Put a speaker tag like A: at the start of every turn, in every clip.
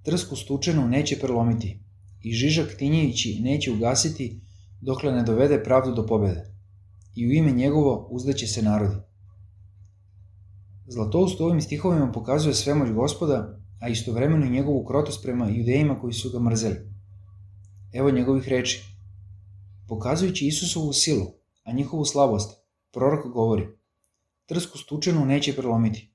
A: trsku stučenu neće prelomiti i žižak tinjevići neće ugasiti dokle ne dovede pravdu do pobede. I u ime njegovo uzdaće se narodi. Zlatoust u ovim stihovima pokazuje svemoć Gospoda, a istovremeno i njegovu krotost prema judejima koji su ga mrzeli. Evo njegovih reči. Pokazujući Isusovu silu, a njihovu slabost, prorok govori: trsku stučenu neće prelomiti.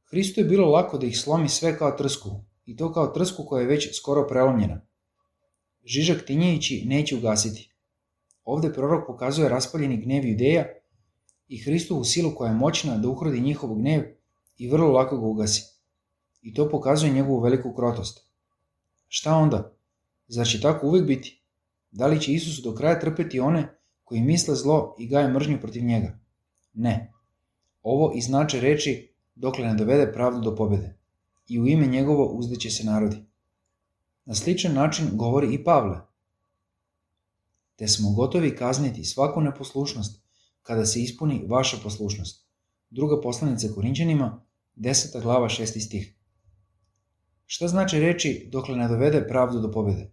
A: Hristu je bilo lako da ih slomi sve kao trsku, i to kao trsku koja je već skoro prelomljena. Žižak tinjevići neće ugasiti. Ovde prorok pokazuje raspaljeni gnev Judeja i Hristovu silu koja je moćna da uhrodi njihov gnev i vrlo lako ga ugasi. I to pokazuje njegovu veliku krotost. Šta onda? Zar će tako uvek biti? Da li će Isus do kraja trpeti one koji misle zlo i gaje mržnju protiv njega? Ne. Ovo i znače reči dokle ne dovede pravdu do pobede. I u ime njegovo uzdaće se narodi. Na sličan način govori i Pavle. Te smo gotovi kazniti svaku neposlušnost kada se ispuni vaša poslušnost. Druga poslanica Korinćanima, 10. glava 6. stih. Šta znači reči dokle ne dovede pravdu do pobede?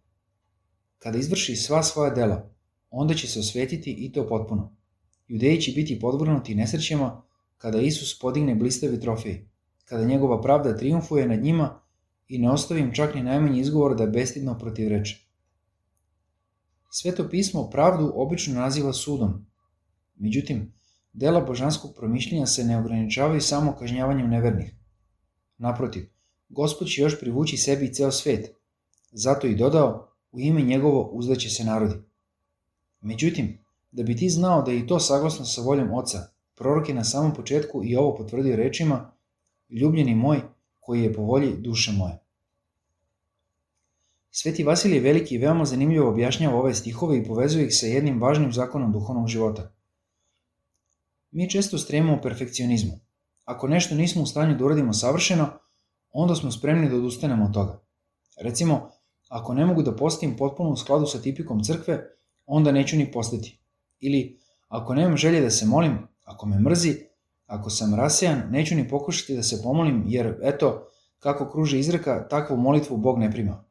A: Kada izvrši sva svoja dela, onda će se osvetiti i to potpuno. Judeji će biti podvrgnuti nesrećama kada Isus podigne blistavi trofej, kada njegova pravda trijumfuje nad njima i ne ostavi im čak ni najmanji izgovor da bestidno protivreče. Sveto pismo pravdu obično naziva sudom. Međutim, dela božanskog promišljenja se ne ograničavaju samo kažnjavanjem nevernih. Naprotiv, Gospod će još privući sebi i ceo svet. Zato i dodao, u ime njegovo uzdaće se narodi. Međutim, da bi ti znao da je i to saglasno sa voljom Oca, prorok je na samom početku i ovo potvrdio rečima: ljubljeni moj, koji je po volji duše moje. Sveti Vasilije Veliki veoma zanimljivo objašnjava ove stihove i povezuje ih sa jednim važnim zakonom duhovnog života. Mi često stremimo perfekcionizmu. Ako nešto nismo u stanju da uradimo savršeno, onda smo spremni da odustanemo od toga. Recimo, ako ne mogu da postim potpuno u skladu sa tipikom crkve, onda neću ni postati. Ili, ako nemam želje da se molim, ako me mrzi, ako sam rasejan, neću ni pokušati da se pomolim, jer, eto, kako kruži izreka, takvu molitvu Bog ne prima.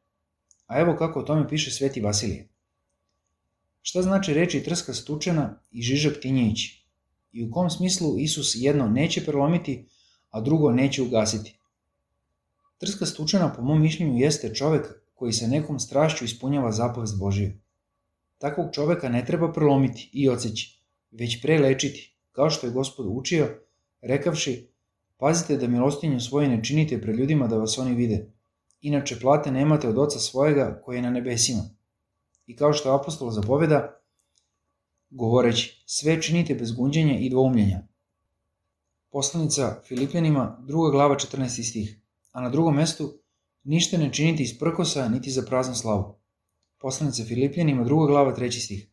A: A evo kako o tome piše Sveti Vasilije. Šta znači reči trska stučena i žižak tinjevići? I u kom smislu Isus jedno neće prelomiti, a drugo neće ugasiti? Trska stučena, po mom mišljenju, jeste čovek koji sa nekom strašću ispunjava zapovest Božiju. Takvog čoveka ne treba prelomiti i odseći, već pre lečiti, kao što je Gospod učio, rekavši: pazite da milostinju svoju ne činite pred ljudima da vas oni vide, inače plate nemate od Oca svojega koji je na nebesima. I kao što apostol zapoveda, govoreći: sve činite bez gunđenja i dvoumljenja. Poslanica Filipljanima, 2. glava 14. stih, a na drugom mestu: ništa ne činite iz prkosa niti za praznu slavu. Poslanica Filipljanima, 2. glava 3. stih.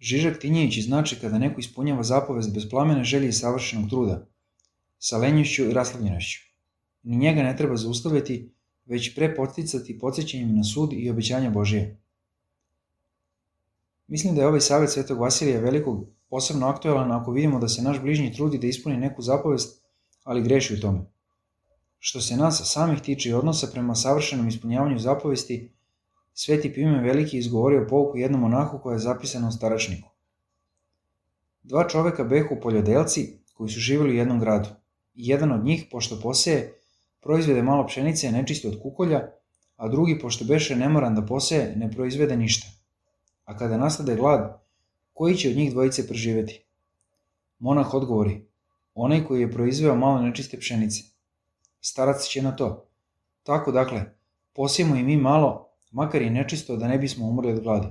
A: Žižak tinjevići znači kada neko ispunjava zapovest bez plamene želje i savršenog truda, sa lenjošću i raslavljenošću. Ni njega ne treba zaustavljati, već pre podsticati podsjećanjem na sud i obećanja Božije. Mislim da je ovaj savjet Svetog Vasilija Velikog posebno aktuelan ako vidimo da se naš bližnji trudi da ispuni neku zapovest, ali greši u tome. Što se nas samih tiče i odnosa prema savršenom ispunjavanju zapovesti, Sveti Pime Veliki izgovorio pouku jednom monahu koja je zapisana u Staračniku. Dva čoveka behu poljodelci koji su živjeli u jednom gradu. I jedan od njih, pošto poseje, proizvede malo pšenice nečisto od kukolja, a drugi, pošto beše nemoran da poseje, ne proizvede ništa. A kada nastade glad, koji će od njih dvojice preživeti? Monah odgovori: onaj koji je proizveo malo nečiste pšenice. Starac će na to: tako dakle, posijemo i mi malo, makar i nečisto, da ne bismo umrli od gladi.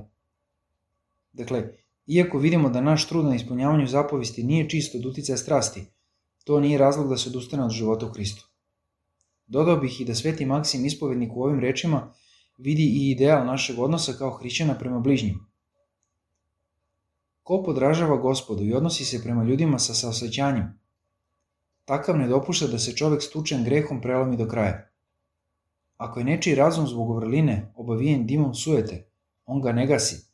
A: Dakle, iako vidimo da naš trud na ispunjavanju zapovesti nije čisto od uticaja strasti, to nije razlog da se odustane od života u Hristu. Dodao bih i da Sveti Maksim ispovednik u ovim rečima vidi i ideal našeg odnosa kao hrišćana prema bližnjim. Ko podražava Gospodu i odnosi se prema ljudima sa saosećanjem, takav ne dopušta da se čovek stučen grehom prelomi do kraja. Ako je nečiji razum zbog vrline obavijen dimom sujete, on ga ne gasi,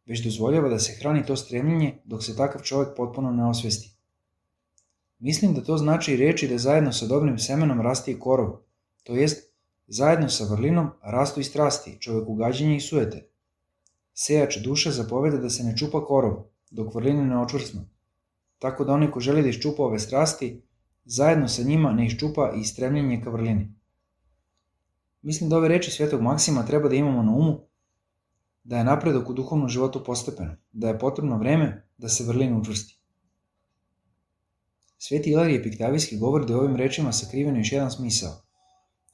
A: već dozvoljava da se hrani to stremljenje dok se takav čovek potpuno ne osvesti. Mislim da to znači i reči da zajedno sa dobrim semenom raste i korov, To jest, zajedno sa vrlinom rastu i strasti, čovekogađenja i sujete. Sejač duše zapoveda da se ne čupa korov, dok vrline ne očvrsnu, tako da onaj ko želi da iščupa ove strasti, zajedno sa njima ne iščupa i stremljenje ka vrlini. Mislim da ove reči svetog Maksima treba da imamo na umu da je napredak u duhovnom životu postepen, da je potrebno vreme da se vrlina učvrsti. Sveti Ilarije Piktavijski govori da je ovim rečima sakriveno još jedan smisao,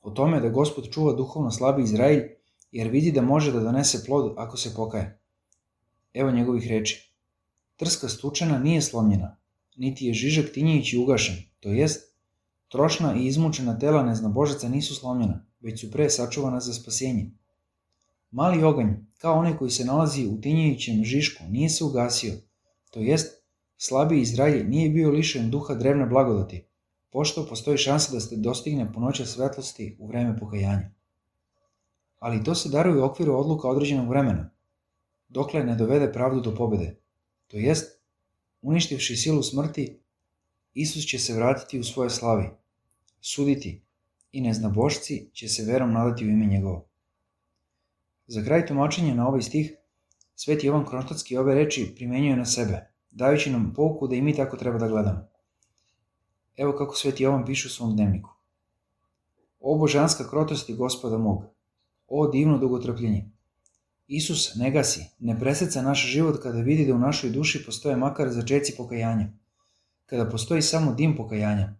A: o tome da Gospod čuva duhovno slabi Izrailj, jer vidi da može da donese plod ako se pokaje. Evo njegovih reči. Trska stučena nije slomljena, niti je žižak tinjajući ugašen, to jest, trošna i izmučena tela neznabožaca nisu slomljena, već su pre sačuvana za spasenje. Mali oganj, kao onaj koji se nalazi u tinjajućem žišku, nije se ugasio, to jest, slabiji Izraelj nije bio lišen duha drevne blagodati, pošto postoji šansa da se dostigne punoća svetlosti u vreme pokajanja. Ali to se daruje u okviru odluka određenog vremena, dokle ne dovede pravdu do pobede. To jest, uništivši silu smrti, Isus će se vratiti u svoje slavi, suditi, i neznabošci će se verom nadati u ime njegovo. Za kraj tumačenja na ovaj stih, Sveti Jovan Kronštatski ove reči primenjuje na sebe, dajući nam pouku da i mi tako treba da gledamo. Evo kako Sveti Jovan piše u svom dnevniku. O božanska krotosti Gospoda mog, o divno dugotrpljenje. Isus ne gasi, ne preseca naš život kada vidi da u našoj duši postoje makar začeci pokajanja, kada postoji samo dim pokajanja,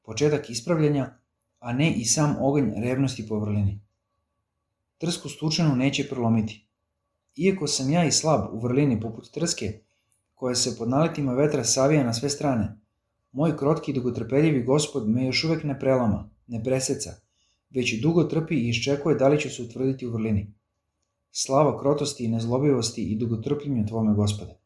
A: početak ispravljanja, a ne i sam oganj revnosti po vrlini. Trsku stučenu neće prelomiti. Iako sam ja i slab u vrlini poput trske, koja se pod naletima vetra savija na sve strane, moj krotki i dugotrpeljivi Gospod me još uvek ne prelama, ne preseca, već dugo trpi i iščekuje da li će se utvrditi u vrlini. Slava krotosti i nezlobivosti i dugotrpljenju Tvome, Gospode.